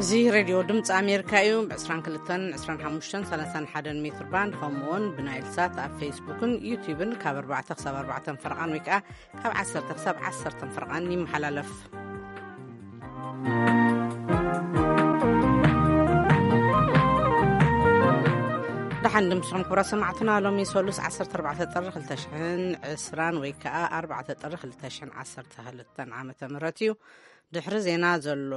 እዚ ሬድዮ ድምፂ ኣሜሪካ እዩ። ብ22፣ 25፣ 31 ሜትር ባንድ፣ ከምኡውን ብናይል ሳት ኣብ ፌስቡክን ዩቲዩብን ካብ ኣርባዕተ ክሳብ ኣርባዕተ ፈረቓን ወይ ከዓ ካብ ዓሰርተ ክሳብ ዓሰርተ ፈረቓን ይመሓላለፍ። ደሓን ድምስኹም ክቡራት ሰማዕትና፣ ሎሚ ሰሉስ ዓሰርተ ኣርባዕተ ጥሪ ክልተ ሽሕን ዕስራን ወይ ከዓ ኣርባዕተ ጥሪ ክልተ ሽሕን ዓሰርተ ክልተን ዓመተ ምህረት እዩ። ድሕሪ ዜና ዘሎ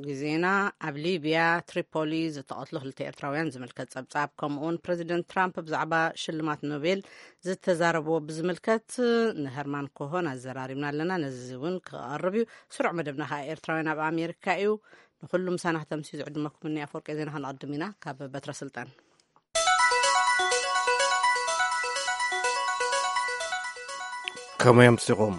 ግዜና፣ ኣብ ሊብያ ትሪፖሊ ዝተቐትሉ ክልተ ኤርትራውያን ዝምልከት ጸብጻብ፣ ከምኡውን ፕረዚደንት ትራምፕ ብዛዕባ ሽልማት ኖቤል ዝተዛረብዎ ብዝምልከት ንሀርማን ኮሆን ኣዘራሪብና ኣለና። ነዚ እውን ክቐርብ እዩ። ስሩዕ መደብና ከዓ ኤርትራውያን ኣብ ኣሜሪካ እዩ። ንኹሉ ምሳና ክተምስዩ ዝዕድመኩም እኒ ኣፈወርቂ ዜና። ክንቐድም ኢና ካብ በትረ ስልጣን። ከመይ ኣምሲኹም?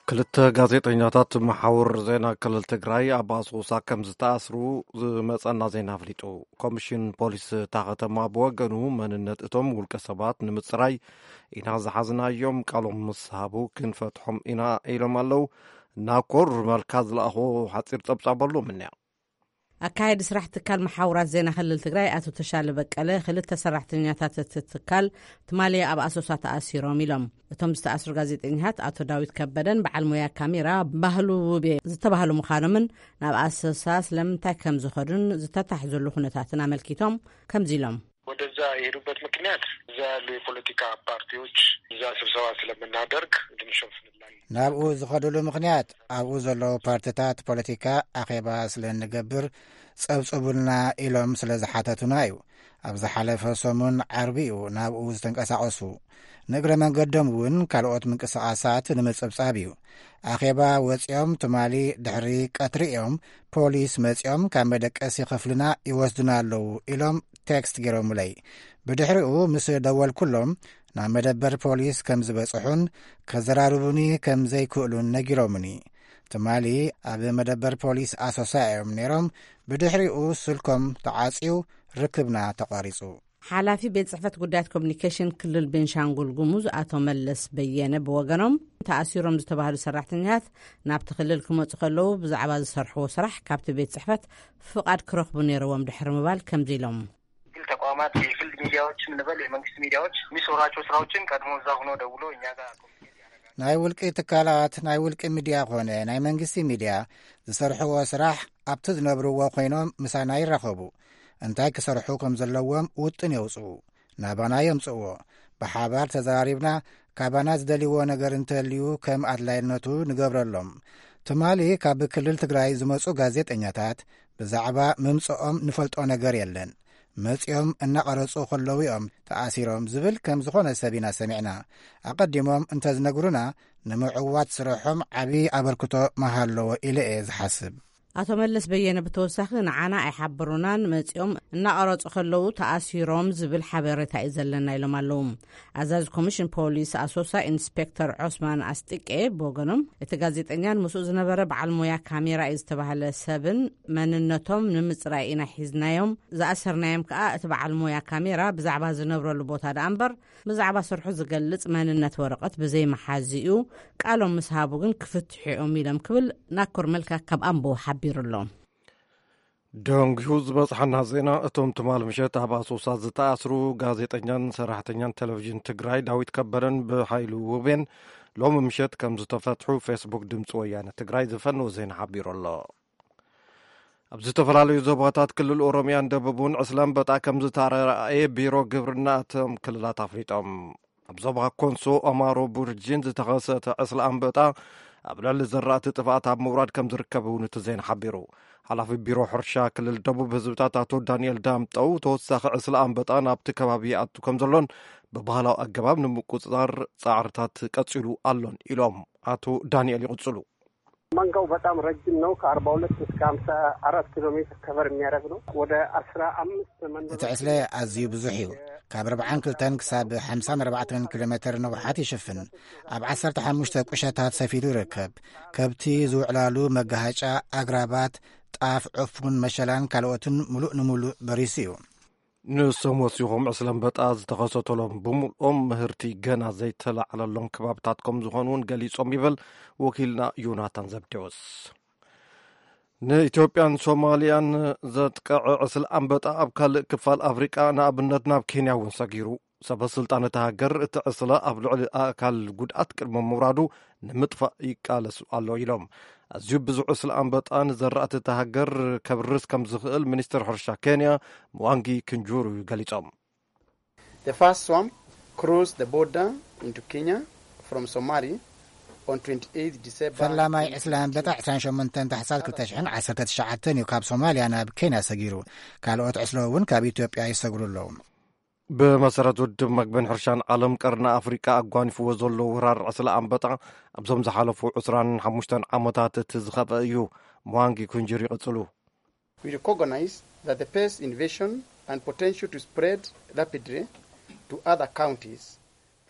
ክልተ ጋዜጠኛታት መሓውር ዜና ክልል ትግራይ ኣብ ኣሶሳ ከም ዝተኣስሩ ዝመጸና ዜና ኣፍሊጡ። ኮሚሽን ፖሊስ እታ ከተማ ብወገኑ፣ መንነት እቶም ውልቀ ሰባት ንምጽራይ ኢና ዝሓዝናዮም፣ ቃሎም ምስ ሃቡ ክንፈትሖም ኢና ኢሎም ኣለዉ። ናኮር መልካ ዝለኣኾ ሓጺር ጸብጻብ ኣሎ ምንያ። ኣካየዲ ስራሕ ትካል መሓውራት ዜና ክልል ትግራይ ኣቶ ተሻለ በቀለ፣ ክልተ ሰራሕተኛታት እቲ ትካል ትማሊ ኣብ ኣሶሳ ተኣሲሮም ኢሎም። እቶም ዝተኣስሩ ጋዜጠኛታት ኣቶ ዳዊት ከበደን በዓል ሞያ ካሜራ ባህሉ ውቤ ዝተባህሉ ምዃኖምን፣ ናብ ኣሶሳ ስለምንታይ ከም ዝኸዱን ዝተታሕዘሉ ኩነታትን ኣመልኪቶም ከምዚ ኢሎም። ወደዛ የሄዱበት ምክንያት፣ እዛ ያሉ የፖለቲካ ፓርቲዎች እዛ ስብሰባ ስለምናደርግ ድንሾፍንላን። ናብኡ ዝኸዱሉ ምክንያት፣ ኣብኡ ዘለዉ ፓርቲታት ፖለቲካ ኣኼባ ስለ እንገብር ጸብጽቡልና ኢሎም ስለ ዝሓተቱና እዩ። ኣብ ዝሓለፈ ሰሙን ዓርቢ እዩ ናብኡ ዝተንቀሳቐሱ። ንእግረ መንገዶም እውን ካልኦት ምንቅስቓሳት ንምጽብጻብ እዩ። ኣኼባ ወጺኦም ትማሊ ድሕሪ ቀትሪ እዮም ፖሊስ መጺኦም ካብ መደቀሲ ክፍልና ይወስዱና ኣለዉ ኢሎም ቴክስት ገይሮምለይ። ብድሕሪኡ ምስ ደወልኩሎም፣ ናብ መደበር ፖሊስ ከም ዝበጽሑን ከዘራርቡኒ ከም ዘይክእሉን ነጊሮምኒ። ትማሊ ኣብ መደበር ፖሊስ ኣሶሳ እዮም ነይሮም። ብድሕሪኡ ስልኮም ተዓጽዩ፣ ርክብና ተቋሪጹ። ሓላፊ ቤት ጽሕፈት ጉዳያት ኮሚኒኬሽን ክልል ቤንሻንጉል ጉሙዝ ኣቶ መለስ በየነ ብወገኖም፣ ተኣሲሮም ዝተባህሉ ሰራሕተኛታት ናብቲ ክልል ክመጹ ከለዉ ብዛዕባ ዝሰርሕዎ ስራሕ ካብቲ ቤት ጽሕፈት ፍቓድ ክረኽቡ ነይርዎም ድሕሪ ምባል ከምዚ ኢሎም። የግል ተቋማት፣ የግል ሚዲያዎችን እንበል፣ የመንግስት ሚዲያዎች የሚሰሯቸው ስራዎችን ቀድሞ እዛ ሆኖ ደውሎ እኛ ጋር ኮሚኒኬት ያደርጋሉ። ናይ ውልቂ ትካላት፣ ናይ ውልቂ ሚዲያ ኾነ ናይ መንግስቲ ሚዲያ ዝሰርሕዎ ስራሕ ኣብቲ ዝነብርዎ ኮይኖም ምሳና ይራኸቡ። እንታይ ክሰርሑ ከም ዘለዎም ውጥን የውፅኡ። ናባና የምፅእዎ። ብሓባር ተዘራሪብና ካባና ዝደልይዎ ነገር እንተልዩ ከም ኣድላይነቱ ንገብረሎም። ትማሊ ካብ ክልል ትግራይ ዝመፁ ጋዜጠኛታት ብዛዕባ ምምፅኦም ንፈልጦ ነገር የለን። መፂኦም እናቐረፁ ከለዉ እዮም ተኣሲሮም ዝብል ከም ዝኾነ ሰብ ኢና ሰሚዕና። ኣቐዲሞም እንተዝነግሩና ንምዕዋት ስርሖም ዓብዪ ኣበርክቶ ምሃለዎ ኢለ እየ ዝሓስብ። ኣቶ መለስ በየነ ብተወሳኺ፣ ንዓና ኣይሓበሩናን፣ መፂኦም እናቐረፁ ከለዉ ተኣሲሮም ዝብል ሓበሬታ እዩ ዘለና ኢሎም ኣለዉ። ኣዛዚ ኮሚሽን ፖሊስ ኣሶሳ ኢንስፔክተር ዖስማን ኣስጢቄ ብወገኖም፣ እቲ ጋዜጠኛን ምስኡ ዝነበረ በዓል ሞያ ካሜራ እዩ ዝተባህለ ሰብን መንነቶም ንምፅራይ ኢና ሒዝናዮም። ዝኣሰርናዮም ከኣ እቲ በዓል ሞያ ካሜራ ብዛዕባ ዝነብረሉ ቦታ ደኣ እምበር ብዛዕባ ስርሑ ዝገልጽ መንነት ወረቐት ብዘይመሓዚኡ ቃሎም ምስ ሃቡ ግን ክፍትሑ እዮም ኢሎም ክብል ናኮር መልካ ካብ ኣምቦ ሓቢሩ ኣሎ። ደንጉዩ ዝበጽሓና ዜና፣ እቶም ትማል ምሸት ኣብ ኣሶሳ ዝተኣስሩ ጋዜጠኛን ሰራሕተኛን ቴሌቪዥን ትግራይ ዳዊት ከበደን ብሃይሉ ውቤን ሎሚ ምሸት ከም ዝተፈትሑ ፌስቡክ ድምፂ ወያነ ትግራይ ዝፈነወ ዜና ሓቢሩ ኣሎ። ኣብ ዝተፈላለዩ ዞባታት ክልል ኦሮሚያን ደቡብን ዕስለ ኣንበጣ ከም ዝተራእየ ቢሮ ግብርና እቶም ክልላት ኣፍሊጦም። ኣብ ዞባ ኮንሶ ኣማሮ ቡርጂን ዝተኸሰተ ዕስለ ኣንበጣ ኣብ ልዕሊ ዘራእቲ ጥፍኣት ኣብ ምውራድ ከም ዝርከብ እውን እቲ ዜና ሓቢሩ። ሓላፊ ቢሮ ሕርሻ ክልል ደቡብ ህዝብታት ኣቶ ዳንኤል ዳምጠው፣ ተወሳኺ ዕስለ ኣንበጣ ናብቲ ከባቢ ይኣቱ ከም ዘሎን ብባህላዊ ኣገባብ ንምቁጽጻር ጻዕርታት ቀጺሉ ኣሎን ኢሎም ኣቶ ዳንኤል ይቕጽሉ። መንጋው በጣም ረጅም ነው። ከ42 እስከ 54 ኪሎ ሜትር ከቨር የሚያደርግ ነው። ወደ 15 መንደሮች። እቲ ዕስለ ኣዝዩ ብዙሕ እዩ። ካብ 42 ክሳብ 54 ኪሎ ሜትር ንውሓት ይሽፍን። ኣብ 15 ቁሸታት ሰፊሩ ይርከብ። ከብቲ ዝውዕላሉ መጋሃጫ፣ ኣግራባት፣ ጣፍ፣ ዕፉን፣ መሸላን ካልኦትን ሙሉእ ንሙሉእ በሪሱ እዩ። ንሶም ወሲኾም፣ ዕስለ ኣንበጣ ዝተኸሰተሎም ብምልኦም ምህርቲ ገና ዘይተላዕለሎም ከባብታት ከም ዝኾኑ እውን ገሊጾም ይብል ወኪልና ዮናታን ዘብዴዎስ። ንኢትዮጵያን ሶማልያን ዘጥቀዐ ዕስለ ኣንበጣ ኣብ ካልእ ክፋል ኣፍሪቃ፣ ንኣብነት ናብ ኬንያ እውን ሰጊሩ። ሰበ ስልጣን እታ ሃገር፣ እቲ ዕስለ ኣብ ልዕሊ ኣእካል ጉድኣት ቅድሚ ምውራዱ ንምጥፋእ ይቃለስ ኣሎ ኢሎም። ኣዝዩ ብዙሕ ዕስለ ኣንበጣ ንዘራእቲ እታ ሃገር ከብርስ ከም ዝኽእል ሚኒስትር ሕርሻ ኬንያ ምዋንጊ ክንጁሩ ገሊጾም። The first swarm crossed the border into Kenya from Somali on twenty-eighth December. ፈላማይ ዕስለ ኣንበጣ ዕስራን ሸሞንተን ታሕሳስ ክልተ ሽሕን ዓሰርተ ትሽዓተን እዩ ካብ ሶማልያ ናብ ኬንያ ሰጊሩ። ካልኦት ዕስለ እውን ካብ ኢትዮጵያ ይሰግሩ ኣለዉ። ብመሰረት ውድብ መግብን ሕርሻን ዓለም፣ ቀርኒ ኣፍሪቃ ኣጓኒፍዎ ዘሎ ወራር ዕስለ ኣንበጣ ኣብዞም ዝሓለፉ ዕስራን ሓሙሽተን ዓመታት እቲ ዝኸፍአ እዩ። ምዋንጊ ኩንጅር ይቕጽሉ። We recognize that the pest invasion and potential to spread rapidly to other counties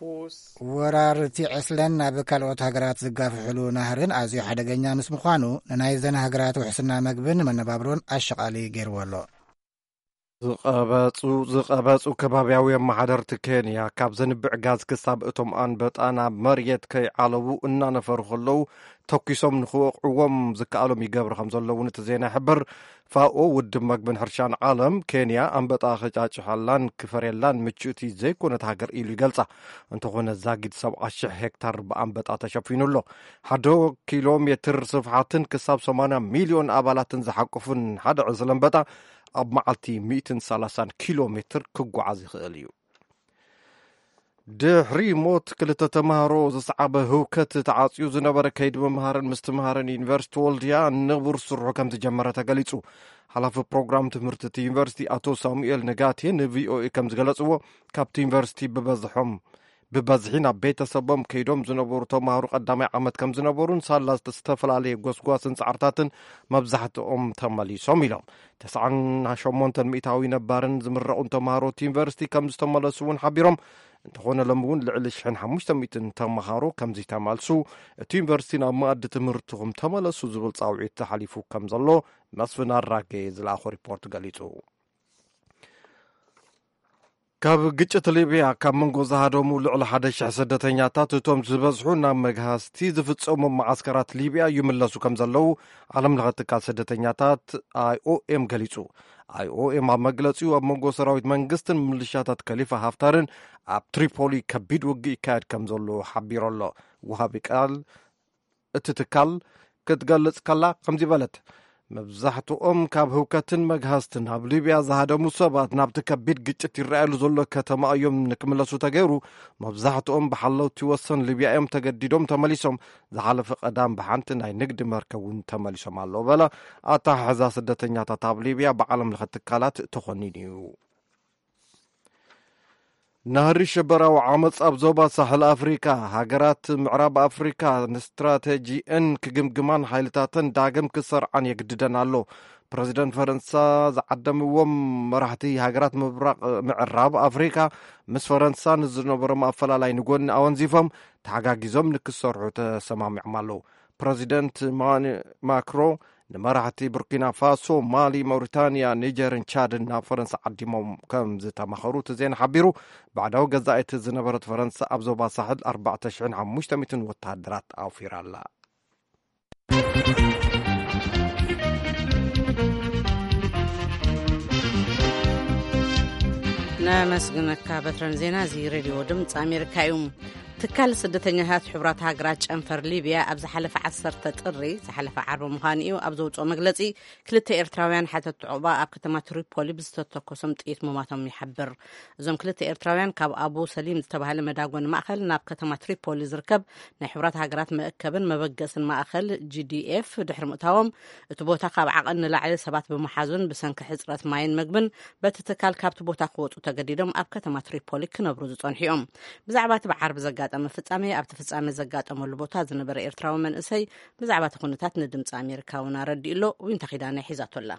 pose. ወራር እቲ ዕስለን ናብ ካልኦት ሃገራት ዝጋፍሕሉ ናህርን ኣዝዩ ሓደገኛ ምስ ምዃኑ፣ ንናይዘን ሃገራት ውሕስና መግብን መነባብሮን ኣሸቓሊ ገይርዎ ኣሎ። ዝቐበጹ ከባብያዊ ኣመሓደርቲ ኬንያ፣ ካብ ዘንብዕ ጋዝ ክሳብ እቶም ኣንበጣ ናብ መሬት ከይዓለቡ እናነፈሩ ከለዉ፣ ተኲሶም ንኽወቕዕዎም ዝከኣሎም ይገብሩ ከም ዘለዉ እቲ ዜና ይሕብር። ፋኦ፣ ውድብ መግብን ሕርሻን ዓለም፣ ኬንያ ኣንበጣ ከጫጭሓላን ክፈርየላን ምችእቲ ዘይኮነት ሃገር ኢሉ ይገልጻ። እንተኾነ፣ ዛጊድ ሰብዓ ሽሕ ሄክታር ብኣንበጣ ተሸፊኑ ኣሎ። ሓደ ኪሎ ሜትር ስፍሓትን ክሳብ ሰማንያ ሚልዮን ኣባላትን ዝሓቁፍን ሓደ ዕስለ ኣንበጣ ኣብ መዓልቲ ሚእትን ሰላሳን ኪሎ ሜትር ክጓዓዝ ይኽእል እዩ። ድሕሪ ሞት ክልተ ተማሃሮ ዝሰዓበ ህውከት፣ ተዓጽዩ ዝነበረ ከይዲ ምምሃርን ምስትምሃርን ዩኒቨርሲቲ ወልድያ ንቡር ስርሑ ከም ዝጀመረ ተገሊጹ። ሓላፊ ፕሮግራም ትምህርቲ እቲ ዩኒቨርሲቲ ኣቶ ሳሙኤል ነጋቴ ንቪኦኤ ከም ዝገለጽዎ፣ ካብቲ ዩኒቨርሲቲ ብበዝሖም ብበዝሒ ናብ ቤተሰቦም ከይዶም ዝነበሩ ተማሃሮ ቀዳማይ ዓመት ከም ዝነበሩን ሳላ ዝተፈላለየ ጎስጓስን ጻዕርታትን መብዛሕትኦም ተመሊሶም ኢሎም። ተስዓን ሸሞንተን ሚእታዊ ነባርን ዝምረቑን ተማሃሮ እቲ ዩኒቨርሲቲ ከም ዝተመለሱ እውን ሓቢሮም። እንተኾነ፣ ሎም እውን ልዕሊ ሽሕን ሓሙሽተ ሚእትን ተማሃሮ ከም ዝተመልሱ፣ እቲ ዩኒቨርሲቲ ናብ መኣዲ ትምህርትኹም ተመለሱ ዝብል ጻውዒት ተሓሊፉ ከም ዘሎ መስፍን ኣራጌ ዝለኣኾ ሪፖርት ገሊጹ። ካብ ግጭት ሊብያ ካብ መንጎ ዝሃደሙ ልዕሊ ሓደ ሽሕ ስደተኛታት፣ እቶም ዝበዝሑ ናብ መግሃስቲ ዝፍጸሙ መዓስከራት ሊብያ ይምለሱ ከም ዘለዉ ዓለም ለኸ ትካል ስደተኛታት ኣይኦኤም ገሊጹ። ኣይኦኤም ኣብ መግለጺኡ፣ ኣብ መንጎ ሰራዊት መንግስትን ምልሻታት ከሊፋ ሃፍታርን ኣብ ትሪፖሊ ከቢድ ውግእ ይካየድ ከም ዘሎ ሓቢሩ ኣሎ። ወሃቢ ቃል እቲ ትካል ክትገልጽ ከላ ከምዚ በለት። መብዛሕትኦም ካብ ህውከትን መግሃስትን ኣብ ሊብያ ዝሃደሙ ሰባት ናብቲ ከቢድ ግጭት ይረኣየሉ ዘሎ ከተማ እዮም ንክምለሱ ተገይሩ። መብዛሕትኦም ብሓለውቲ ወሰን ሊብያ እዮም ተገዲዶም ተመሊሶም። ዝሓለፈ ቀዳም ብሓንቲ ናይ ንግዲ መርከብ እውን ተመሊሶም ኣለዉ በለ። ኣተሓሕዛ ስደተኛታት ኣብ ሊብያ ብዓለም ለኸ ትካላት ተኾኒኑ እዩ። ናህሪ ሽበራዊ ዓመፅ ኣብ ዞባ ሳሕል ኣፍሪካ፣ ሃገራት ምዕራብ ኣፍሪካ ንስትራቴጂአን ክግምግማን ሓይልታተን ዳግም ክሰርዓን የግድደን ኣሎ። ፕረዚደንት ፈረንሳ ዝዓደምዎም መራሕቲ ሃገራት ምብራቕ ምዕራብ ኣፍሪካ፣ ምስ ፈረንሳ ንዝነበሮም ኣፈላላይ ንጎኒ ኣወንዚፎም ተሓጋጊዞም ንክሰርሑ ተሰማሚዖም ኣለዉ። ፕረዚደንት ማን- ማክሮ ንመራሕቲ ቡርኪና ፋሶ፣ ማሊ፣ መውሪታንያ፣ ኒጀርን ቻድን ናብ ፈረንሳ ዓዲሞም ከም ዝተማኸሩ እቲ ዜና ሓቢሩ። ባዕዳዊ ገዛኢት ዝነበረት ፈረንሳ ኣብ ዞባ ሳሕል ኣርባዕተ ሽሕን ሓሙሽተ ሚእትን ወተሃደራት ኣውፊራ ኣላ። ነመስግነካ በትረን። ዜና እዚ ሬድዮ ድምፂ ኣሜሪካ እዩ። ትካል ስደተኛታት ሕቡራት ሃገራት ጨንፈር ሊብያ ኣብ ዝሓለፈ ዓሰርተ ጥሪ፣ ዝሓለፈ ዓርቢ ምዃኑ እዩ፣ ኣብ ዘውፅኦ መግለፂ፣ ክልተ ኤርትራውያን ሓተቲ ዑቕባ ኣብ ከተማ ትሪፖሊ ብዝተተኮሶም ጥይት ምማቶም ይሓብር። እዞም ክልተ ኤርትራውያን ካብ ኣቡ ሰሊም ዝተባህለ መዳጎኒ ማእኸል ናብ ከተማ ትሪፖሊ ዝርከብ ናይ ሕቡራት ሃገራት መእከብን መበገስን ማእኸል ጂ ዲ ኤፍ ድሕሪ ምእታዎም፣ እቲ ቦታ ካብ ዓቐን ንላዕሊ ሰባት ብምሓዙን ብሰንኪ ሕፅረት ማይን መግብን በቲ ትካል ካብቲ ቦታ ክወፁ ተገዲዶም ኣብ ከተማ ትሪፖሊ ክነብሩ ዝፀንሑ እዮም። ብዛዕባ እቲ ብዓርቢ ዘጋጠመ ፍጻሜ፣ ኣብቲ ፍጻሜ ዘጋጠመሉ ቦታ ዝነበረ ኤርትራዊ መንእሰይ ብዛዕባ እቲ ኩነታት ንድምፂ ኣሜሪካ እውን ኣረዲኡ ኣሎ። ዊንታ ኪዳነ ሒዛቶ ኣላ።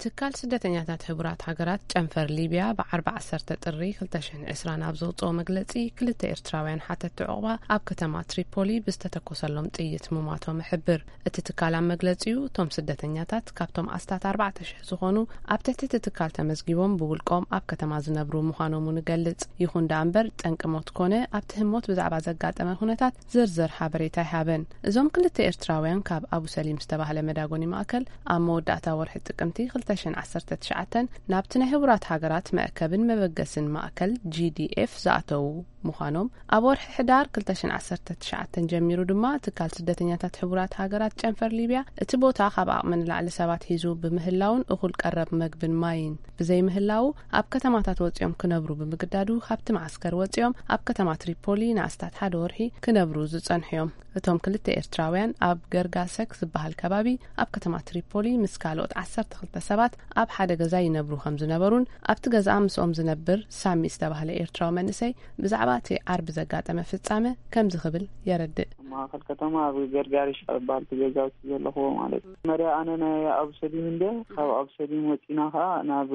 ትካል ስደተኛታት ሕቡራት ሃገራት ጨንፈር ሊብያ ብዓርቢ ዓሰርተ ጥሪ ክልተ ሽሕን ዕስራን ኣብ ዘውፅኦ መግለፂ፣ ክልተ ኤርትራውያን ሓተቲ ዕቑባ ኣብ ከተማ ትሪፖሊ ብዝተተኮሰሎም ጥይት ምሟቶም ይሕብር። እቲ ትካል ኣብ መግለፂኡ፣ እቶም ስደተኛታት ካብቶም ኣስታት ኣርባዕተ ሽሕ ዝኾኑ ኣብ ትሕቲ እቲ ትካል ተመዝጊቦም ብውልቆም ኣብ ከተማ ዝነብሩ ምዃኖም እውን ይገልጽ። ይኹን ደኣ እምበር፣ ጠንቂ ሞት ኮነ ኣብቲ ህሞት ብዛዕባ ዘጋጠመ ኩነታት ዝርዝር ሓበሬታ ኣይሃበን። እዞም ክልተ ኤርትራውያን ካብ ኣቡ ሰሊም ዝተባህለ መዳጎኒ ማእከል ኣብ መወዳእታ ወርሒ ጥቅምቲ ክልተ ሽሕን ዓሰርተ ትሽዓተን ናብቲ ናይ ሕቡራት ሃገራት መእከብን መበገስን ማእከል ጂ ዲ ኤፍ ዝኣተዉ ምዃኖም፣ ኣብ ወርሒ ሕዳር ክልተ ሽሕን ዓሰርተ ትሽዓተን ጀሚሩ ድማ ትካል ስደተኛታት ሕቡራት ሃገራት ጨንፈር ሊብያ እቲ ቦታ ካብ ዓቕሚ ንላዕሊ ሰባት ሒዙ ብምህላውን እኹል ቀረብ መግብን ማይን ብዘይምህላዉ፣ ኣብ ከተማታት ወጺኦም ክነብሩ ብምግዳዱ ካብቲ መዓስከር ወጺኦም ኣብ ከተማ ትሪፖሊ ንኣስታት ሓደ ወርሒ ክነብሩ ዝጸንሑ እዮም። እቶም ክልተ ኤርትራውያን ኣብ ገርጋሰክ ዝበሃል ከባቢ ኣብ ከተማ ትሪፖሊ ምስ ካልኦት ዓሰርተ ክልተ ሰባት ኣብ ሓደ ገዛ ይነብሩ ከም ዝነበሩን ኣብቲ ገዛ ምስኦም ዝነብር ሳሚ ዝተባህለ ኤርትራዊ መንእሰይ ብዛዕባ እቲ ዓርቢ ዘጋጠመ ፍጻመ ከምዚ ክብል የረድእ። ኣብ ማእከል ከተማ ኣብ ገርጋሪሽ ዝበሃል እቲ ገዛውቲ ዘለኽዎ ማለት እዩ። መርያ ኣነ ናይ ኣብሰሊም እንደ ካብ ኣብሰሊም ወጺና ከኣ ናብ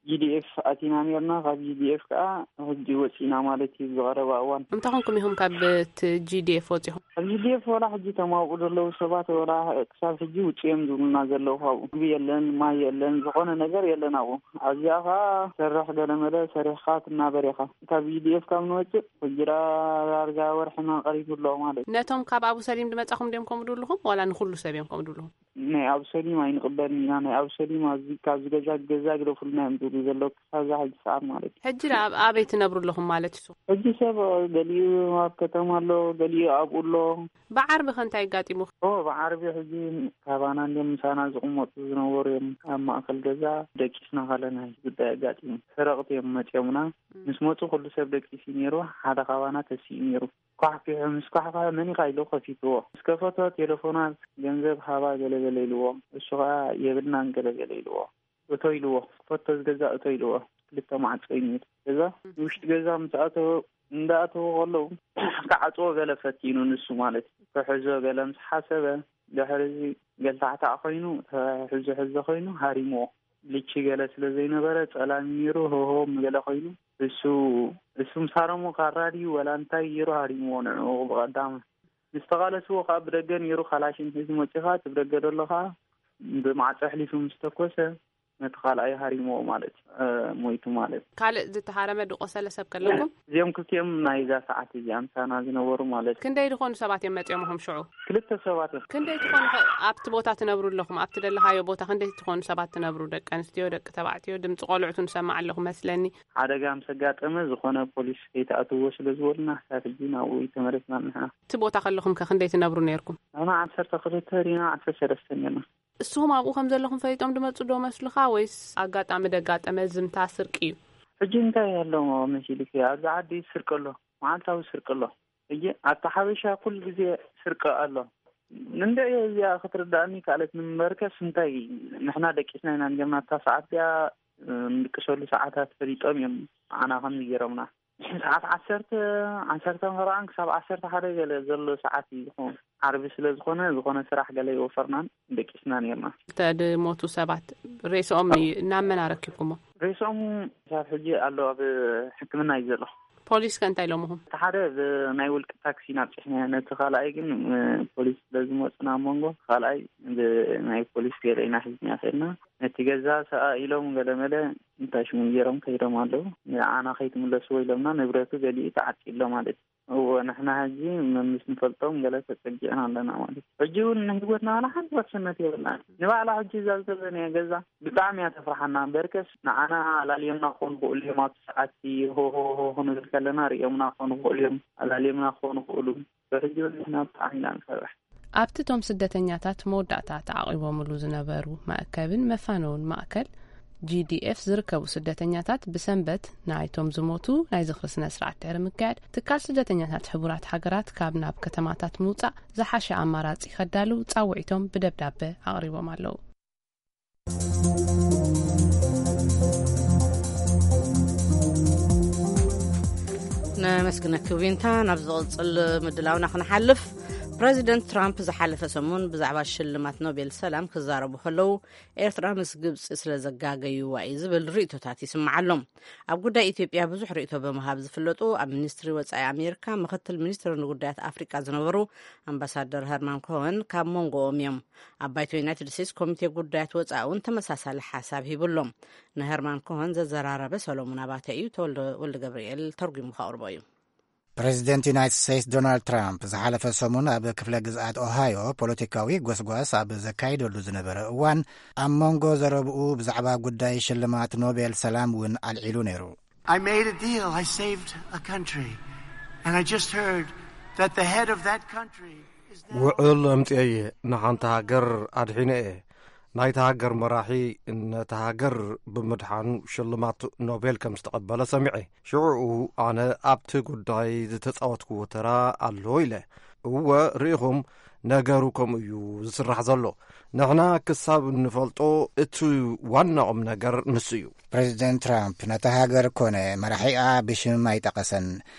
ጂ ዲ ኤፍ ኣቲና ኔርና። ካብ ጂ ዲ ኤፍ ከኣ ሕጂ ወጺና ማለት እዩ። ዝቐረባ እዋን እንታይ ኮንኩም ኢኹም ካብ እቲ ጂ ዲ ኤፍ ወጺኹም? ኣብ ጂ ዲ ኤፍ ወላ ሕጂ ተማውቁ ዘለዉ ሰባት ወላ ክሳብ ሕጂ ውጽኦም ዝብሉና ዘለዉ ካብኡ። ምግቢ የለን፣ ማይ የለን፣ ዝኾነ ነገር የለን ኣብኡ። ኣብዚኣ ኸኣ ሰርሕ ገለመለ ሰሪሕኻ ትናበር ኢኻ። ካብ ጂ ዲ ኤፍ ካብ ንወጽእ ሕጂ ደኣ ዳርጋ ወርሕና ቀሪቡ ኣሎ ማለት እዩ። ነቶም ካብ ኣቡ ሰሊም ዝመጻኹም ድዮም ከምኡ ድብልኹም ዋላ ንኹሉ ሰብ እዮም ከምኡ ድብልኹም? ናይ ኣብሰሊም ኣይንቕበልን ኢና። ናይ ኣብሰሊም ኣብዚ ካብዚ ገዛ ገዛ ግደፉልና እዮም ዝብሉ ዘለዉ ክሳብ እዛ ሕጂ ሰዓት ማለት እዩ። ሕጂ ደኣ ኣብ ኣበይ ትነብሩ ኣለኹም ማለት እዩ? ሕጂ ሰብ ገሊኡ ኣብ ከተማ ኣሎ፣ ገሊኡ ኣብኡ ኣሎ። ብዓርቢ ከ እንታይ ኣጋጢሙ? ኦ፣ ብዓርቢ ሕጂ ካባና እንድዮም ምሳና ዝቕመጡ ዝነበሩ እዮም። ኣብ ማእከል ገዛ ደቂስና ከለና እዩ ጉዳይ ኣጋጢሙ። ሰረቕቲ እዮም መጺኦምና። ምስ መጹ ኩሉ ሰብ ደቂሱ ነይሩ። ሓደ ካባና ተሲኡ ነይሩ። ኳሕኲሑ ምስ ኳሕኳሐ መን ኢኻ ኢሉ ከፊትዎ። ምስ ከፈቶ ቴሌፎና ገንዘብ ሃባ ገለገለ ኢልዎ። እሱ ኸኣ የብልናን ገለገለ ኢልዎ። እቶ ኢልዎ። ክፈቶ ዝገዛ እቶ ኢልዎ። ክልተ ማዕጾ እዩ ነይሩ። ገዛ ንውሽጢ ገዛ ምስ ኣተወ፣ እንዳኣተወ ከለዉ ክዓጽዎ ገለ ፈቲኑ ንሱ ማለት እዩ። ክሕዞ ገለ ምስ ሓሰበ፣ ድሕሪ እዚ ገልታዕታዕ ኮይኑ፣ ተሕዞ ሕዞ ኮይኑ ሃሪምዎ። ልቺ ገለ ስለ ዘይነበረ ጸላም ነይሩ፣ ሆሆም ገለ ኮይኑ፣ እሱ፣ እሱ ምስ ሃረሞ ካራ ድዩ ወላ እንታይ ገይሩ ሃሪምዎ ንዕኡ ብቐዳም። ምስ ተቓለስዎ ከኣ ብደገ ነይሩ ካላሽን ሒዙ መጺኡ ከኣ እቲ ብደገ ዘሎ ከኣ ብማዕጾ ኣሕሊፉ ምስ ተኮሰ ነቲ ካልኣይ ሃሪምዎ ማለት እዩ፣ እ፣ ሞይቱ ማለት እዩ። ካልእ ዝተሃረመ ዝቆሰለ ሰብ ከለኩም? እዚኦም ክልቲኦም ናይዛ ሰዓት እዚኣ ምሳና ዝነበሩ ማለት እዩ። ክንደይ ዝኾኑ ሰባት እዮም መጺኦምኹም ሽዑ? ክልተ ሰባት እዮም። ክንደይ ትኾኑ ከ ኣብቲ ቦታ ትነብሩ ኣለኹም? ኣብቲ ደለኻዮ ቦታ ክንደይ ትኾኑ ሰባት ትነብሩ? ደቂ ኣንስትዮ፣ ደቂ ተባዕትዮ፣ ድምጺ ቆልዑ ንሰማዕ ኣለኹ መስለኒ። ሓደጋ ምስ ኣጋጠመ ዝኾነ ፖሊስ ከይትኣትዎ ስለ ዝበሉና፣ ክሳብ ሕጂ ናብኡ ኣይተመለስናን ንሕና። እቲ ቦታ ከለኹም ከ ክንደይ ትነብሩ ነይርኩም? ንሕና ዓሰርተ ክልተ ዲና ዓሰርተ ሰለስተ ኔርና። እስኹም ኣብኡ ከም ዘለኹም ፈሊጦም ድመጹ ዶ መስሉኻ ወይስ ኣጋጣሚ ደጋጠመ ዝምታ ስርቂ እዩ? ሕጂ እንታይ ኣሎ መሲልኪ? ኣብዚ ዓዲ ስርቂ ኣሎ፣ መዓልታዊ ስርቂ ኣሎ። ሕጂ ኣብታ ሓበሻ ኩሉ ግዜ ስርቂ ኣሎ። እንድዒ እዚኣ ክትርዳእኒ ካልኣት ንምበርከስ እንታይ ንሕና ደቂስና ኢና እንጀምና። ኣብታ ሰዓት እዚኣ፣ እ፣ ንድቅሰሉ ሰዓታት ፈሊጦም እዮም ንዓና ከምዚ ገይሮምና። ሰዓት ዓሰርተ፣ ዓሰርተ ኸርባዕተ ክሳብ ዓሰርተ ሓደ ገለ ዘሎ ሰዓት እዩ ዝኸውን። ዓርቢ ስለ ዝኾነ፣ ዝኾነ ስራሕ ገለ ኣይወፈርናን፣ ደቂስና ኔርና። እተ ድሞቱ ሰባት ሬስኦም እዩ፣ ናብ መን ኣረኪብኩሞ? ሬስኦም ክሳብ ሕጂ ኣሎ፣ ኣብ ሕክምና እዩ ዘሎ። ፖሊስ ከ እንታይ ኢሎምኹም? እቲ ሓደ ብናይ ውልቂ ታክሲ ኢና ኣብጺሕናዮ፣ ነቲ ካልኣይ ግን፣ እ፣ ፖሊስ ስለ ዝመጹና ኣብ መንጎ፣ ካልኣይ ብናይ ፖሊስ ገለ ኢና ሒዝና ኸድና። ነቲ ገዛ ሰኣ ኢሎም ገለ መለ እንታይ ሽሙ ገይሮም ከይዶም ኣለዉ። ንዓና ከይትምለስዎ ኢሎምና፣ ንብረቱ ገሊኡ ተዓጺ ኣሎ ማለት እዩ። እወ፣ ንሕና ሕጂ መምስ ንፈልጦም ገለ ተጸጊዕና ኣለና ማለት እዩ። ሕጂ እውን ንህይወትና ዋላ ሓንቲ ውሕስነት የብልናን። ንባዕላ ሕጂ እዛ ዘለናያ ገዛ ብጣዕሚ እያ ተፍርሓና። በርከስ ንዓና ኣላልዮምና ክኾኑ ይኽእሉ እዮም። ኣብቲ ሰዓት ሆ ሆ ሆ ክንብል ከለና ርእዮምና ክኾኑ ይኽእሉ እዮም። ኣላልዮምና ክኾኑ ይኽእሉ። ብሕጂ እውን ንሕና ብጣዕሚ ኢና ንፈርሕ። ኣብቲ እቶም ስደተኛታት መወዳእታ ተዓቒቦምሉ ዝነበሩ መእከብን መፋነውን ማእከል ጂ ዲ ኤፍ ዝርከቡ ስደተኛታት ብሰንበት ናይቶም ዝሞቱ ናይ ዝኽሪ ስነ ስርዓት ድሕሪ ምክያድ፣ ትካል ስደተኛታት ሕቡራት ሃገራት ካብ ናብ ከተማታት ምውጻእ ዝሓሸ ኣማራጺ ከዳልው ጻውዒቶም ብደብዳበ ኣቕሪቦም ኣለዉ። ነመስግነኪ ዊንታ። ናብ ዝቕጽል ምድላውና ክንሓልፍ፣ ፕረዚደንት ትራምፕ ዝሓለፈ ሰሙን ብዛዕባ ሽልማት ኖቤል ሰላም ክዛረቡ ከለዉ፣ ኤርትራ ምስ ግብጺ ስለ ዘጋገዩዋ እዩ ዝብል ርእይቶታት ይስማዕ ኣሎ። ኣብ ጉዳይ ኢትዮጵያ ብዙሕ ርእይቶ ብምሃብ ዝፍለጡ ኣብ ሚኒስትሪ ወጻኢ ኣሜሪካ ምኽትል ሚኒስትር ንጉዳያት ኣፍሪቃ ዝነበሩ ኣምባሳደር ሀርማን ኮኸን ካብ መንጎኦም እዮም። ኣብ ባይቶ ዩናይትድ ስቴትስ ኮሚቴ ጉዳያት ወጻኢ እውን ተመሳሳሊ ሓሳብ ሂቡ ኣሎ። ንሀርማን ኮኸን ዘዘራረበ ሰሎሙን ኣባተ እዩ። ተወልደ ወልደ ገብርኤል ተርጉሙ ከቕርቦ እዩ። ፕሬዚደንት ዩናይትድ ስቴትስ ዶናልድ ትራምፕ ዝሓለፈ ሰሙን ኣብ ክፍለ ግዝኣት ኦሃዮ ፖለቲካዊ ጎስጓስ ኣብ ዘካይደሉ ዝነበረ እዋን፣ ኣብ መንጎ ዘረብኡ ብዛዕባ ጉዳይ ሽልማት ኖቤል ሰላም እውን ኣልዒሉ ነይሩ። I made a deal. I saved a country. And I just heard that the head of that country is now ውዕል ኣምጽኤ እየ። ንሓንቲ ሃገር ኣድሒነ እየ። ናይታ ሃገር መራሒ ነታ ሃገር ብምድሓኑ ሽልማት ኖቤል ከም ዝተቐበለ ሰሚዐ። ሽዑኡ ኣነ ኣብቲ ጉዳይ ዝተጻወትክዎ ተራ ኣሎ ኢለ። እወ፣ ርኢኹም፣ ነገሩ ከምኡ እዩ ዝስራሕ ዘሎ። ንሕና ክሳብ እንፈልጦ እቲ ዋና ቁም ነገር ንሱ እዩ። ፕሬዚደንት ትራምፕ ነታ ሃገር ኮነ መራሒኣ ብሽም ኣይጠቐሰን።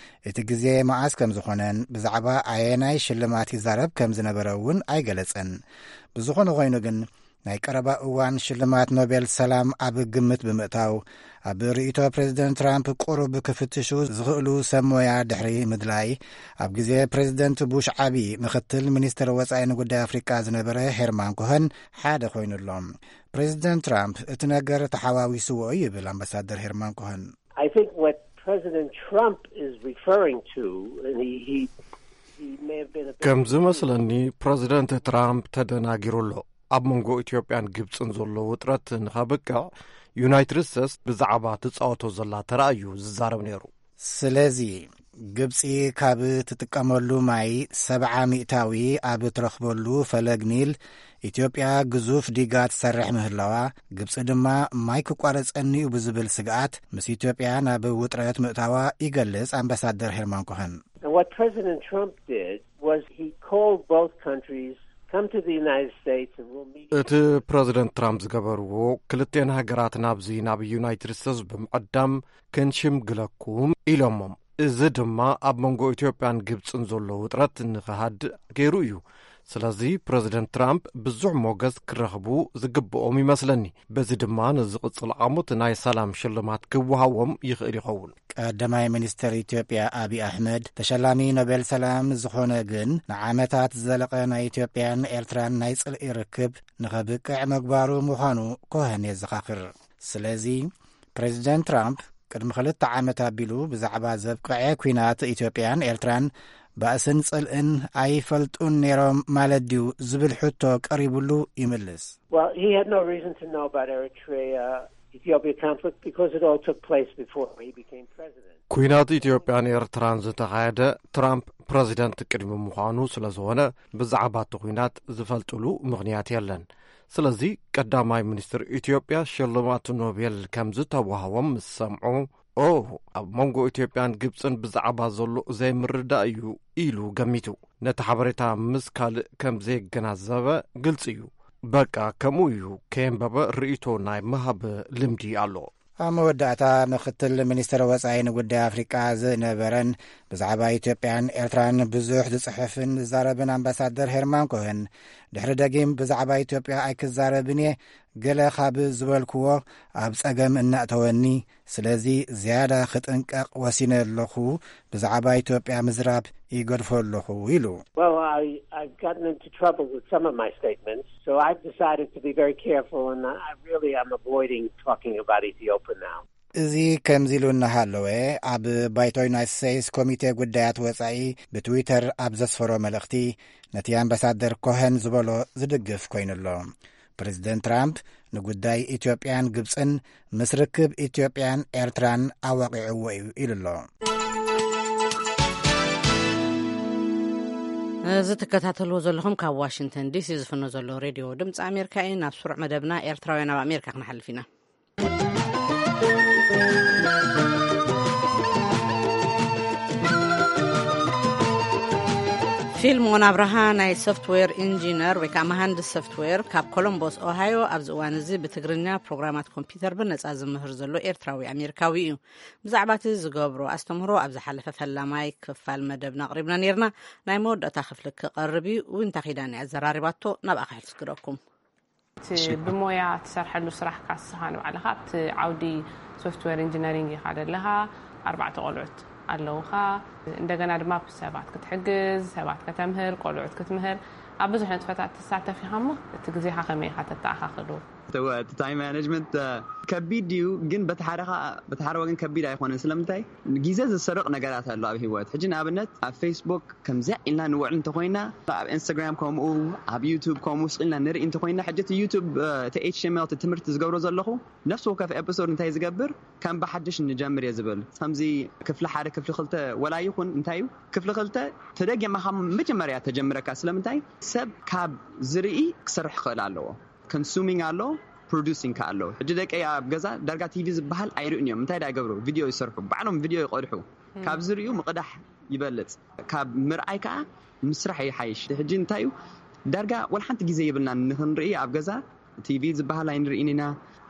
እቲ ግዜ መዓስ ከም ዝኾነን ብዛዕባ ኣየናይ ሽልማት ይዛረብ ከም ዝነበረ እውን ኣይገለጸን። ብዝኾነ ኮይኑ ግን፣ ናይ ቀረባ እዋን ሽልማት ኖቤል ሰላም ኣብ ግምት ብምእታው፣ ኣብ ርእይቶ ፕሬዚደንት ትራምፕ ቁሩብ ክፍትሹ ዝኽእሉ ሰብ ሞያ ድሕሪ ምድላይ፣ ኣብ ግዜ ፕሬዚደንት ቡሽ ዓቢ ምኽትል ሚኒስትር ወጻኢ ንጉዳይ ኣፍሪቃ ዝነበረ ሄርማን ኮኸን ሓደ ኮይኑ ኣሎ። ፕሬዚደንት ትራምፕ እቲ ነገር ተሓዋዊስዎ ይብል ኣምባሳደር ሄርማን ኮኸን። I think what President Trump is referring to, and he, he, he may have been a bit ከም ዝመስለኒ፣ ፕረዚደንት ትራምፕ ተደናጊሩ ኣሎ። ኣብ መንጎ ኢትዮጵያን ግብጽን ዘሎ ውጥረት ንኸብቅዕ፣ ዩናይትድ ስቴትስ ብዛዕባ ትጻወቶ ዘላ ተራ እዩ ዝዛረብ ነይሩ። ስለዚ፣ ግብጺ ካብ ትጥቀመሉ ማይ ሰብዓ ሚእታዊ ኣብ ትረኽበሉ ፈለግ ኒል፣ ኢትዮጵያ ግዙፍ ዲጋ ትሰርሕ ምህላዋ፣ ግብጺ ድማ ማይ ክቋረጸኒ እዩ ብዝብል ስግኣት፣ ምስ ኢትዮጵያ ናብ ውጥረት ምእታዋ ይገልጽ ኣምባሳደር ሄርማን ኮኸን። And what President Trump did was he called both countries, "Come to the United States and we'll meet you." እቲ ፕረዚደንት ትራምፕ ዝገበርዎ፣ ክልቴን ሃገራት ናብዚ ናብ ዩናይትድ ስቴትስ ብምዕዳም ክንሽምግለኩም ኢሎሞም። እዚ ድማ ኣብ መንጎ ኢትዮጵያን ግብጽን ዘሎ ውጥረት ንኽሃድእ ገይሩ እዩ። ስለዚ ፕረዚደንት ትራምፕ ብዙሕ ሞገስ ክረኽቡ ዝግብኦም ይመስለኒ። በዚ ድማ ንዝቕጽል ዓሙት ናይ ሰላም ሽልማት ክወሃቦም ይኽእል ይኸውን። ቀዳማይ ሚኒስትር ኢትዮጵያ ኣብይ ኣሕመድ፣ ተሸላሚ ኖቤል ሰላም ዝኾነ ግን ንዓመታት ዝዘለቐ ናይ ኢትዮጵያን ኤርትራን ናይ ጽልኢ ርክብ ንኸብቅዕ ምግባሩ ምዃኑ ኮኸን የዘኻኽር። ስለዚ፣ ፕሬዚደንት ትራምፕ ቅድሚ ክልተ ዓመት ኣቢሉ ብዛዕባ ዘብቅዐ ኲናት ኢትዮጵያን ኤርትራን ባእስን ጽልእን ኣይፈልጡን ነይሮም ማለት ድዩ ዝብል ሕቶ ቀሪቡሉ ይምልስ። Well, he had no reason to know about Eritrea, Ethiopia conflict because it all took place before he became president. ኲናት ኢትዮጵያን ኤርትራን ዝተኻየደ ትራምፕ ፕረዚደንት ቅድሚ ምዃኑ ስለ ዝኾነ፣ ብዛዕባ እቲ ኲናት ዝፈልጥሉ ምኽንያት የለን። ስለዚ ቀዳማይ ሚኒስትር ኢትዮጵያ ሽልማት ኖቤል ከም ዝተዋህቦም ምስ ሰምዑ፣ "ኦ፣ ኣብ መንጎ ኢትዮጵያን ግብጽን ብዛዕባ ዘሎ ዘይምርዳእ እዩ" ኢሉ ገሚቱ። ነቲ ሓበሬታ ምስ ካልእ ከም ዘየገናዘበ ግልጺ እዩ። በቃ ከምኡ እዩ፣ ከየንበበ ርእይቶ ናይ ምሃብ ልምዲ ኣሎ። ኣብ መወዳእታ፣ ምኽትል ሚኒስትር ወጻኢ ንጉዳይ ኣፍሪቃ ዝነበረን ብዛዕባ ኢትዮጵያን ኤርትራን ብዙሕ ዝጽሕፍን ዝዛረብን ኣምባሳደር ሄርማን ኮሄን፣ ድሕሪ ደጊም ብዛዕባ ኢትዮጵያ ኣይክዛረብን እየ፣ ገለ ካብ ዝበልክዎ ኣብ ጸገም እናእተወኒ፣ ስለዚ ዝያዳ ክጥንቀቕ ወሲነ ኣለኹ፣ ብዛዕባ ኢትዮጵያ ምዝራብ ይገድፎ ኣለኹ ኢሉ። Well, I, I've gotten into trouble with some of my statements, so I've decided to be very careful, and I really am avoiding talking about Ethiopia now. እዚ ከምዚ ኢሉ እናሃለወ፣ ኣብ ባይቶ ዩናይትድ ስቴትስ ኮሚቴ ጉዳያት ወጻኢ ብትዊተር ኣብ ዘስፈሮ መልእኽቲ፣ ነቲ ኣምባሳደር ኮሄን ዝበሎ ዝድግፍ ኮይኑ ኣሎ። ፕሬዚደንት ትራምፕ ንጉዳይ ኢትዮጵያን ግብጽን ምስ ርክብ ኢትዮጵያን ኤርትራን ኣዋቂዕዎ እዩ ኢሉ ኣሎ። እዚ ትከታተልዎ ዘለኹም ካብ ዋሽንግተን ዲሲ ዝፍኖ ዘሎ ሬድዮ ድምፂ ኣሜሪካ እዩ። ናብ ስሩዕ መደብና ኤርትራውያን ኣብ ኣሜሪካ ክንሓልፍ ኢና። ፊልሞን ኣብርሃ ናይ ሶፍትዌር ኢንጂነር ወይ ከዓ መሃንድስ ሶፍትዌር ካብ ኮሎምቦስ ኦሃዮ ኣብዚ እዋን እዚ ብትግርኛ ፕሮግራማት ኮምፒውተር ብነፃ ዝምህር ዘሎ ኤርትራዊ ኣሜሪካዊ እዩ። ብዛዕባ እቲ ዝገብሮ ኣስተምህሮ ኣብ ዝሓለፈ ፈላማይ ክፋል መደብና ኣቕሪብና ነርና። ናይ መወዳእታ ክፍሊ ክቐርብ እዩ። ዊንታ ኪዳን እያ ኣዘራሪባቶ። ናብኣ ክሕልስክረኩም። እቲ ብሞያ ትሰርሐሉ ስራሕካ ንስኻ ንባዕልኻ ኣብቲ ዓውዲ ሶፍትዌር ኢንጂነሪንግ ኢኻ ዘለኻ። ኣርባዕተ ቆልዑት ኣለውኻ። እንደገና ድማ ብሰባት ክትሕግዝ፣ ሰባት ከተምህር፣ ቆልዑት ክትምህር፣ ኣብ ብዙሕ ንጥፈታት ትሳተፍ ኢኻ። እሞ እቲ ግዜኻ ከመይ ኢኻ ተተኣኻኽሉ? እቲ ታይም ማኔጅመንት ከቢድ ድዩ? ግን በቲ ሓደ ወገን ከቢድ ኣይኮነን። ስለምንታይ? ግዜ ዝሰርቕ ነገራት ኣሎ ኣብ ህይወት። ሕጂ ንኣብነት ኣብ ፌስቡክ ከምዚኣ ኢልና ንውዕል እንተኮይና፣ ኣብ ኢንስታግራም ከምኡ፣ ኣብ ዩቱብ ከምኡ ስቕ ኢልና ንርኢ እንተኮይና፣ ሕጂ እቲ ዩቱብ እቲ ኤች ቲ ኤም ኤል እቲ ትምህርቲ ዝገብሮ ዘለኹ ነፍሲ ወከፍ ኤፒሶድ እንታይ ዝገብር ከም ብሓድሽ ንጀምር እየ ዝብል። ከምዚ ክፍሊ ሓደ ክፍሊ ክልተ ወላ ይኹን እንታይ እዩ ክፍሊ ክልተ ተደጊማ ካብ መጀመርያ ተጀምረካ። ስለምንታይ? ሰብ ካብ ዝርኢ ክሰርሕ ክኽእል ኣለዎ። ኮንሱሚንግ ኣሎ፣ ፕሮዱሲንግ ከ ኣሎ። ሕጂ ደቀይ ኣብ ገዛ ዳርጋ ቲቪ ዝበሃል ኣይርእን እዮም። እንታይ ዳ ይገብሩ? ቪድዮ ይሰርሑ፣ ባዕሎም ቪድዮ ይቐድሑ። ካብ ዝርእዩ ምቕዳሕ ይበልፅ። ካብ ምርኣይ ከዓ ምስራሕ ይሓይሽ። ሕጂ እንታይ እዩ ዳርጋ ወላ ሓንቲ ግዜ የብልና ንክንርኢ ኣብ ገዛ ቲቪ ዝበሃል ኣይንርእን ኢና።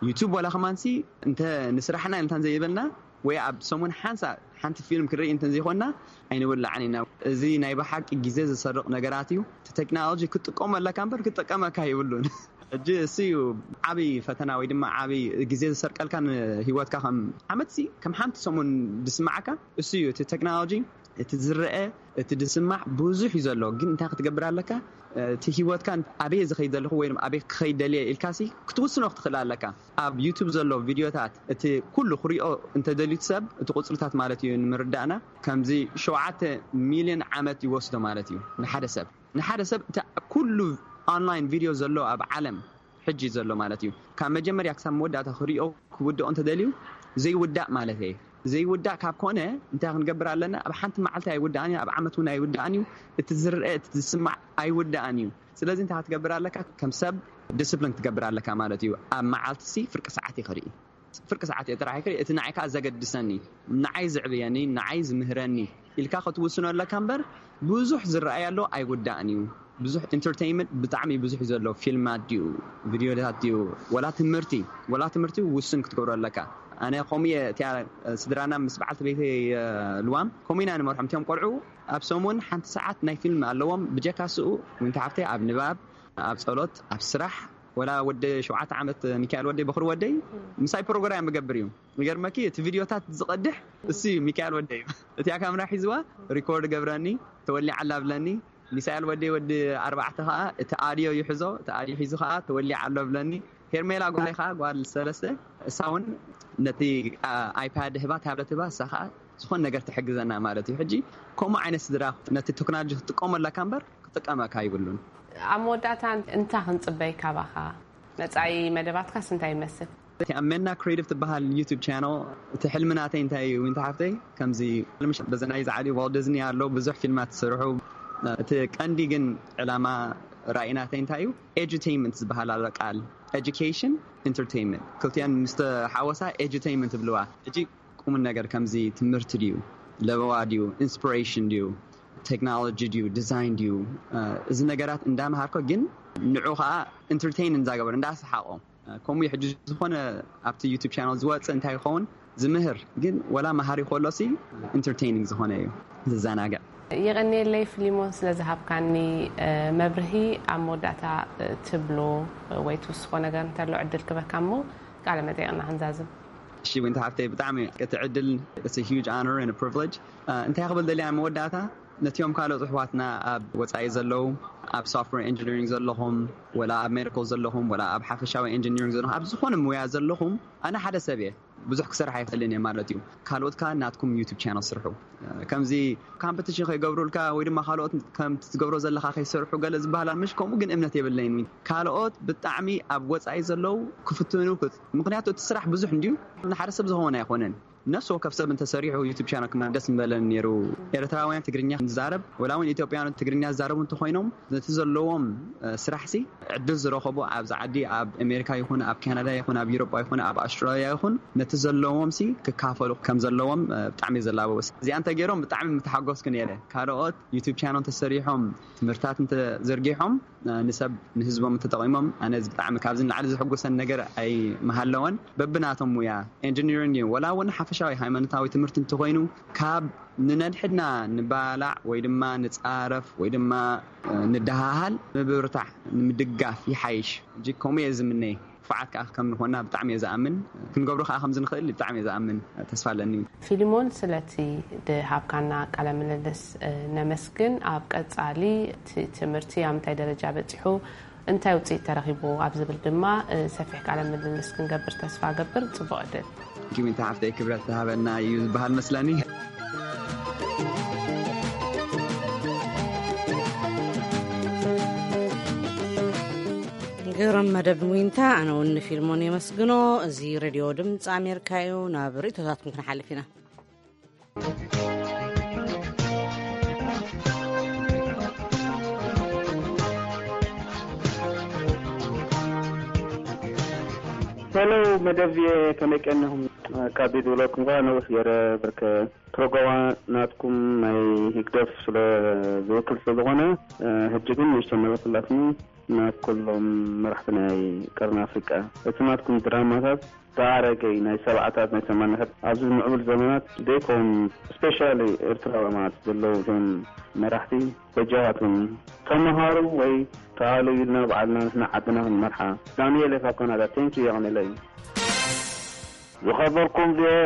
ዩቱብ ዋላ ከማንሲ እንተ ንስራሕና እንታን ዘይበልና ወይ ኣብ ሰሙን ሓንሳ ሓንቲ ፊልም ክንርኢ እንተ ዘይኮንና ኣይንውላዕን ኢና። እዚ ናይ ብሓቂ ግዜ ዝሰርቕ ነገራት እዩ። እቲ ቴክኖሎጂ ክትጥቀሞ ኣለካ እምበር ክጥቀመካ ይብሉን። ሕጂ እሱ እዩ ዓብዪ ፈተና ወይ ድማ ዓብዪ ግዜ ዝሰርቀልካ ንህይወትካ። ከም ዓመት ሲ ከም ሓንቲ ሰሙን ዝስማዓካ እሱ እዩ። እቲ ቴክኖሎጂ እቲ ዝረአ እቲ ዝስማዕ ብዙሕ እዩ ዘሎ። ግን እንታይ ክትገብር ኣለካ? እቲ ህይወትካ ኣበየ ዝኸይድ ዘለኹ ወይ ኣበየ ክኸይድ ደልየ ኢልካ ሲ ክትውስኖ ክትኽእል ኣለካ። ኣብ ዩቱብ ዘሎ ቪድዮታት እቲ ኩሉ ክሪኦ እንተደልዩ ሰብ እቲ ቁፅርታት ማለት እዩ ንምርዳእና ከምዚ ሸውዓተ ሚልዮን ዓመት ይወስዶ ማለት እዩ ንሓደ ሰብ። ንሓደ ሰብ እቲ ኩሉ ኦንላይን ቪድዮ ዘሎ ኣብ ዓለም ሕጂ ዘሎ ማለት እዩ። ካብ መጀመርያ ክሳብ መወዳእታ ክሪኦ ክውድኦ እንተደልዩ ዘይውዳእ ማለት እየ። ዘይውዳእ ካብ ኮነ እንታይ ክንገብር ኣለና? ኣብ ሓንቲ መዓልቲ ኣይውዳእን እዩ፣ ኣብ ዓመት እውን ኣይውዳእን እዩ። እቲ ዝርአ እቲ ዝስማዕ ኣይውዳእን እዩ። ስለዚ እንታይ ክትገብር ኣለካ? ከም ሰብ ዲስፕሊን ክትገብር ኣለካ ማለት እዩ። ኣብ መዓልቲ ሲ ፍርቂ ሰዓት ይኽርኢ ፍርቂ ሰዓት እየ ጥራሕ ይክእል እቲ ንዓይ ከዓ ዘገድሰኒ ንዓይ ዝዕብየኒ ንዓይ ዝምህረኒ ኢልካ ክትውስኖ ኣለካ እምበር ብዙሕ ዝረኣይ ኣሎ ኣይውዳእን እዩ። ብዙሕ ኢንተርቴይንመንት ብጣዕሚ ብዙሕ እዩ ዘሎ። ፊልማት ድዩ ቪድዮታት ድዩ ወላ ትምህርቲ ወላ ትምህርቲ ውስን ክትገብሮ ኣለካ። ኣነ ከምኡ እየ እቲያ ስድራና ምስ በዓልቲ ቤተይ ልዋም ከምኡ ኢና ንመርሖም እቲኦም ቆልዑ ኣብ ሰሙን ሓንቲ ሰዓት ናይ ፊልም ኣለዎም ብጀካ ስኡ ወንቲ ሓፍተይ ኣብ ንባብ ኣብ ፀሎት ኣብ ስራሕ ወላ ወደ ሸውዓተ ዓመት ሚካኤል ወደይ በኹሪ ወደይ ምሳይ ፕሮግራም ይገብር እዩ። ይገርመኪ እቲ ቪድዮታት ዝቐድሕ እሱ እዩ ሚካኤል ወደይ። እቲኣ ካሜራ ሒዝዋ ሪኮርድ ገብረኒ ተወሊዓ ኣላ ብለኒ። ሚሳኤል ወደይ ወዲ ኣርባዕተ ከዓ እቲ ኣድዮ ይሕዞ እቲ ኣድዮ ሒዙ ከዓ ተወሊዓ ኣሎ ብለኒ። ሄርሜላ ጓለይ ከዓ ጓል ሰለስተ እሳ እውን ነቲ ኣይፓድ ህባ ታብለት ህባ እሳ ከዓ ዝኾን ነገር ትሕግዘና ማለት እዩ። ሕጂ ከምኡ ዓይነት ስድራ ነቲ ቴክኖሎጂ ክትጥቀመለካ እምበር ክጥቀመካ ይብሉን። ኣብ መወዳእታ እንታይ ክንፅበይ ካባኻ? መፃኢ መደባትካስ እንታይ ይመስል? ኣመና ክሬቲቭ ትበሃል ዩቱብ ቻነል እቲ ሕልሚ ናተይ እንታይ እዩ ዊንታ ሓፍተይ ከምዚ ልምሽ በዚ ናይ ዝዓሊ ዋልት ዲዝኒ ኣሎ ብዙሕ ፊልማት ዝሰርሑ እቲ ቀንዲ ግን ዕላማ ራእይ ናተይ እንታይ እዩ ኤዱቴይንመንት ዝበሃል ኣሎ ቃል ኤዱኬሽን ኢንተርቴይንመንት ክልቲኣን ምስ ተሓወሳ ኤዱቴይንመንት ይብልዋ። ሕጂ ቁም ነገር ከምዚ ትምህርቲ ድዩ ለበዋ ድዩ ኢንስፒሬሽን ድዩ ቴክኖሎጂ ድዩ ዲዛይን ድዩ እዚ ነገራት እንዳምሃርኮ ግን ንዑ ከዓ ኢንተርቴይን እንዳገበሩ እንዳስሓቆ ከምኡ ሕጂ ዝኾነ ኣብቲ ዩቱብ ቻናል ዝወፅእ እንታይ ይኸውን ዝምህር ግን ወላ መሃሪ ከሎ ሲ ኢንተርቴይኒንግ ዝኾነ እዩ ዝዘናግዕ። የቐንየለይ ፍሊሞን ስለ ዝሃብካኒ መብርሂ። ኣብ መወዳእታ ትብሎ ወይ ትውስኾ ነገር እንተሎ ዕድል ክበካ እሞ ቃለ መጠይቕና ክንዛዝም። እሺ ዊንታ ሓፍተይ ብጣዕሚ እቲ ዕድል it's a huge honor and a privilege። እንታይ ክብል ደልያ መወዳእታ ነቲኦም ካልኦት ኣሕዋትና ኣብ ወፃኢ ዘለዉ ኣብ ሶፍትዌር ኢንጂኒሪንግ ዘለኹም ወላ ኣብ ሜዲካል ዘለኹም ወላ ኣብ ሓፈሻዊ ኢንጂኒሪንግ ዘለኹም ኣብ ዝኾነ ሙያ ዘለኹም ኣነ ሓደ ሰብ እየ ብዙሕ ክሰርሕ ኣይኽእልን እየ ማለት እዩ። ካልኦት ከኣ ናትኩም ዩቱብ ቻነል ስርሑ። ከምዚ ካምፕቲሽን ከይገብሩልካ ወይ ድማ ካልኦት ከምቲ ትገብሮ ዘለካ ከይሰርሑ ገለ ዝበሃል ምሽ ከምኡ ግን እምነት የብለይን። ካልኦት ብጣዕሚ ኣብ ወፃኢ ዘለዉ ክፍትኑ ምክንያቱ እቲ ስራሕ ብዙሕ እንድዩ ንሓደ ሰብ ዝኸውን ኣይኮነን። ነፍሲ ወከፍ ሰብ እንተሰሪሑ ዩቱብ ቻናል ክመደስ ምበለን ነይሩ። ኤርትራውያን ትግርኛ ንዛረብ፣ ወላ እውን ኢትዮጵያውያን ትግርኛ ዝዛረቡ እንተኾይኖም፣ ነቲ ዘለዎም ስራሕሲ ዕድል ዝረኸቡ፣ ኣብዚ ዓዲ ኣብ ኣሜሪካ ይኹን ኣብ ካናዳ ይኹን ኣብ ዩሮጳ ይኹን ኣብ ኣውስትራልያ ይኹን፣ ነቲ ዘለዎም ሲ ክካፈሉ ከም ዘለዎም ብጣዕሚ ዘላበወስ። እዚኣ እንተገይሮም ብጣዕሚ ምተሓጎስኩ ነይረ። ካልኦት ዩቱብ ቻናል እንተሰሪሖም፣ ትምህርታት እንተዘርጊሖም፣ ንሰብ ንህዝቦም እንተጠቒሞም፣ ኣነ እዚ ብጣዕሚ ካብዚ ንላዕሊ ዝሕጉሰን ነገር ኣይምሃለወን። በብናቶም ሙያ፣ ኤንጂኒሪንግ እዩ፣ ወላ እውን ሓፈሻዊ ሃይማኖታዊ ትምህርቲ እንተኾይኑ፣ ካብ ንነድሕድና ንባላዕ ወይ ድማ ንጻረፍ ወይ ድማ ንደሃሃል፣ ምብርታዕ ንምድጋፍ ይሓይሽ። ሕጂ ከምኡ እየ ዝምነይ። ክፉዓት ከዓ ከም ንኾና ብጣዕሚ እየ ዝኣምን። ክንገብሮ ከዓ ከም ዝንኽእል ብጣዕሚ እየ ዝኣምን። ተስፋ ኣለኒ። ፊሊሞን፣ ስለቲ ድሃብካና ቃለ ምልልስ ነመስግን። ኣብ ቀጻሊ እቲ ትምህርቲ ኣብ ምንታይ ደረጃ በጺሑ፣ እንታይ ውፅኢት ተረኺቡ ኣብ ዝብል ድማ ሰፊሕ ቃለ ምልልስ ክንገብር ተስፋ ገብር። ጽቡቕ ዕድል። ጊሚንታ ሓፍተይ፣ ክብረት ዝሃበና እዩ ዝበሃል መስለኒ። ግርም መደብ ዊንታ፣ ኣነ እውን ንፊልሞን የመስግኖ። እዚ ሬድዮ ድምፂ ኣሜሪካ እዩ። ናብ ርእቶታትኩም ክንሓልፍ ኢና። ሄሎ መደብ፣ ከመይ ቀኒኹም? ካብ ቤት ውሎኩም ጋር ነውስ ገይረ ብርከ ፕሮግራማ ናትኩም ናይ ህግደፍ ስለ ዝውክል ስለ ዝኾነ፣ ሕጂ ግን ንእሽቶ መበክላትኒ ናብ ኩሎም መራሕቲ ናይ ቀርኒ ኣፍሪቃ። እቲ ናትኩም ድራማታት ዝኣረገይ ናይ ሰብዓታት ናይ ሰማንያታት ኣብዚ ምዕቡል ዘመናት ዘይኮን፣ ስፔሻሊ ኤርትራዊ ማለት ዘለዉ እቶም መራሕቲ በጃኻትኩም ተመሃሩ ወይ ተኣሉ ኢልና ባዕልና ንሕና ዓድና ክንመርሓ። ዳንኤል ካብ ካናዳ፣ ቴንኪ የቐንለይ። ዝኸበርኩም ቪኦኤ፣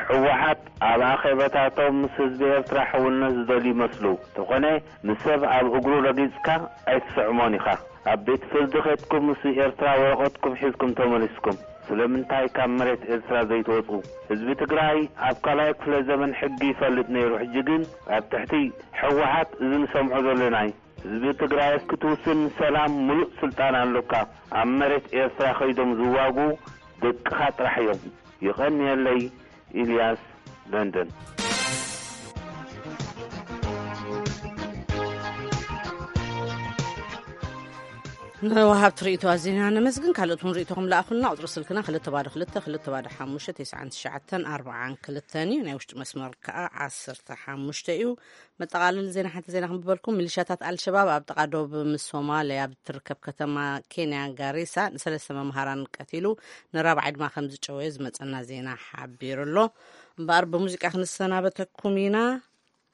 ህወሓት ኣብ ኣኼባታቶም ምስ ህዝቢ ኤርትራ ሕውነት ዝደልዩ ይመስሉ። እንተኾነ ንሰብ ኣብ እግሩ ረጊጽካ ኣይትስዕሞን ኢኻ። ኣብ ቤት ፍርዲ ከድኩም ምስ ኤርትራ ወረቐትኩም ሒዝኩም ተመሊስኩም። ስለምንታይ ካብ መሬት ኤርትራ ዘይትወጹ? ህዝቢ ትግራይ ኣብ ካልኣይ ክፍለ ዘመን ሕጊ ይፈልጥ ነይሩ፣ ሕጂ ግን ኣብ ትሕቲ ህወሓት እዚ ንሰምዖ ዘለና እዩ። ህዝቢ ትግራይ ክትውስን ሰላም ሙሉእ ስልጣን ኣሎካ። ኣብ መሬት ኤርትራ ከይዶም ዝዋጉ ደቅኻ ጥራሕ እዮም። ይቐንየለይ። ኢልያስ፣ ለንደን። ንወሃብቲ ርእይቶ ኣዚና ነመስግን። ካልኦት እውን ርእይቶኹም ለኣኹልና። ቁፅሪ ስልክና ክልተ ባዶ ክልተ ክልተ ባዶ ሓሙሽተ ተስዓን ትሽዓተን ኣርባዓን ክልተን እዩ። ናይ ውሽጢ መስመር ከዓ ዓሰርተ ሓሙሽተ እዩ። መጠቓለሊ ዜና፣ ሓንቲ ዜና ክንብበልኩም። ሚሊሻታት ኣልሸባብ ኣብ ጥቓ ዶብ ምስ ሶማልያ ኣብ ትርከብ ከተማ ኬንያ ጋሪሳ ንሰለስተ መምሃራን ቀቲሉ፣ ንራብዓይ ድማ ከም ዝጨወየ ዝመጸና ዜና ሓቢሩ ኣሎ። እምበኣር ብሙዚቃ ክንሰናበተኩም ኢና።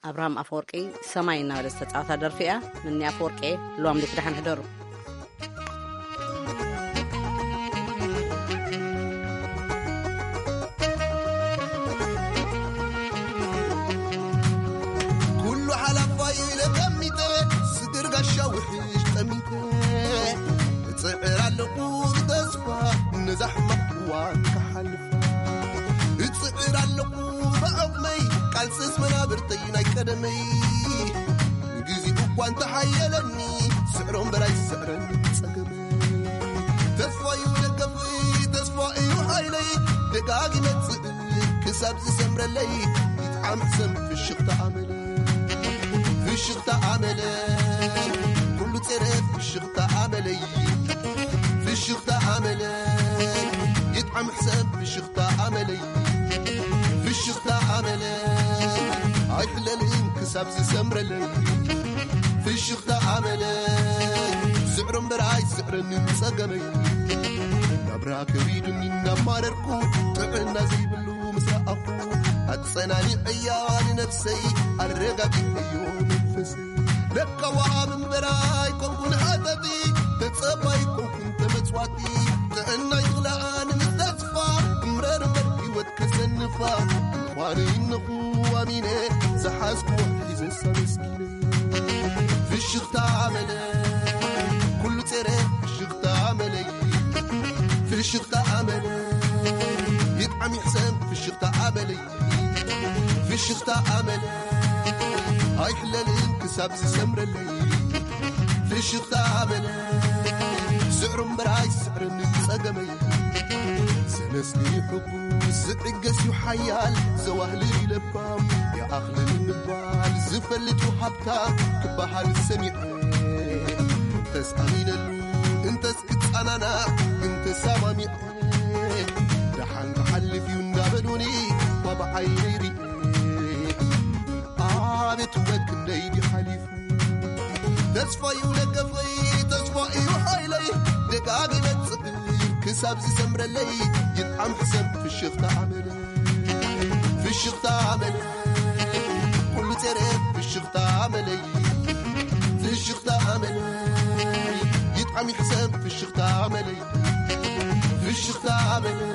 ኣብርሃም ኣፈወርቂ ሰማይ እናበለ ዝተጻወታ ደርፊ እያ። ምኒ ኣፈወርቂ፣ ሉዋም ዲት ደሓን ሕደሩ። ኩሉ ሓላፋይ ኢለ ቀሚጠ፣ ስድር ጋሻ ውሕሽ ጠሚተ፣ እጽዕር ኣለኹ ብተስፋ ነዛ ሕማቕ እዋን ክሓልፋ። እጽዕር ኣለኹ ብዓቕመይ፣ ቃልስስ መናብርተይ ናይ ቀደመይ። ግዜኡ እኳ እንተሓየለኒ፣ ስዕሮ እምበር ኣይስዕረን ጸገመይ። ተስፋ እዩ ደገፍይ፣ ተስፋ እዩ ሓይለይ፣ ደጋጊመ እጽዕር ክሳብ ዝሰምረለይ። ይጥዓም ሕሰም ፍሽኽታ ኣመለይ፣ ፍሽኽታ ኣመለይ፣ ኩሉ ጼረ ፍሽኽታ ኣመለይ፣ ፍሽኽታ ኣመለይ። ይጥዓም ሕሰም ፍሽኽታ ኣመለይ፣ ፍሽኽታ ኣመለይ፣ ኣይሕለልን ክሳብ ዝሰምረለይ። ፍሽኽታ ኣመለይ፣ ስዕሮ እምበር ኣይስዕረንን ጸገመይ። ናብራ ከቢዱኒ እናማረርኩ፣ ጥዕና ዘይብሉ ምስ ረኣኹ፣ ኣጸናኒዐያ ንነፍሰይ፣ ኣረጋጊዐዮ መንፈሰይ። ለካ ወሃብ እምበር ኣይኮንኩን ሃተቲ፣ ተጸባይ ኣይኮንኩን ተመጽዋቲ። ጥዕና ይኽልኣ ንምስተስፋ፣ እምረር እምበር ህይወት ከሰንፋ። እንኳን ኢነኹ ኣሚነ፣ ዝሓዝኩዎ ሒዘ ሳመስኪነ። ፍሽኽታ ኣመለ፣ ኩሉ ጼረ ፍሽኽታ ኣመለይ። ፍሽኽታ ኣመለ፣ ይጥዓም ይሕሰም ፍሽኽታ ኣመለይ። ፍሽኽታ ኣመለ፣ ኣይሕለልን ክሳብ ዝሰምረለይ። ፍሽኽታ ኣመለ፣ ስዕሩ እምበር ኣይስዕርን ጸገመይ። ደስቲ ሕጉስ ዝዕገስ እዩ ሓያል፣ ዘዋህልል እዩ ለባም፣ ይኣኽልን ምባል ዝፈልጥ እዩ ሃብታም ክበሃል ሰሚዐ። ተስኣሚነሉ እንተስ ክጸናናዕ ግን ተሰማሚዐ። ደሓን ክሓልፍ እዩ እንዳበሉኒ እኳ ብዓይነይ ርኢ። ኣቤት ውበት ክንደይ ድዩ ሓሊፉ። ተስፋ እዩ ደገፈይ፣ ተስፋ እዩ ሓይለይ፣ ደጋጊመ ጽብይ ክሳብ ዝሰምረለይ። ይጥዓም ሕሰም ፍሽኽታ ኣመለይ፣ ፍሽኽታ ኣመለይ፣ ኩሉ ጸረ ፍሽኽታ ኣመለይ፣ ፍሽኽታ ኣመለይ፣ ይጥዓም ሕሰም ፍሽኽታ ኣመለይ፣ ፍሽኽታ ኣመለይ፣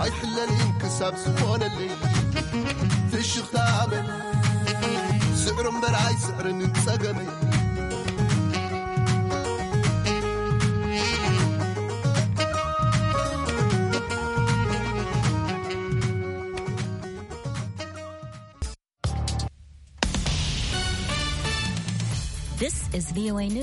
ኣይሕለልን ክሳብ ዝኾነለይ፣ ፍሽኽታ ኣመለይ፣ ስዕሩ እምበር ኣይስዕርን ጸገመይ። This is V O A News.